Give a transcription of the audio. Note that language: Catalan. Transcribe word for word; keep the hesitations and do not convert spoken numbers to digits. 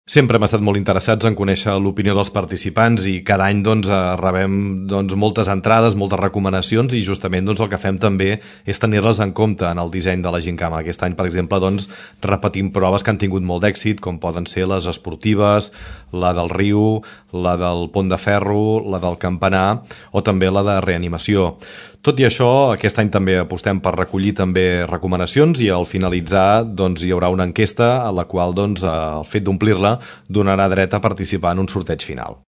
Sempre hem estat molt interessats en conèixer l'opinió dels participants i cada any doncs, rebem doncs, moltes entrades, moltes recomanacions i justament doncs, el que fem també és tenir-les en compte en el disseny de la Gincama. Aquest any, per exemple, doncs, repetim proves que han tingut molt d'èxit, com poden ser les esportives, la del riu, la del pont de ferro, la del campanar o també la de reanimació. Tot i això, aquest any també apostem per recollir també recomanacions i al finalitzar doncs, hi haurà una enquesta a la qual doncs, el fet d'omplir-la donarà dret a participar en un sorteig final.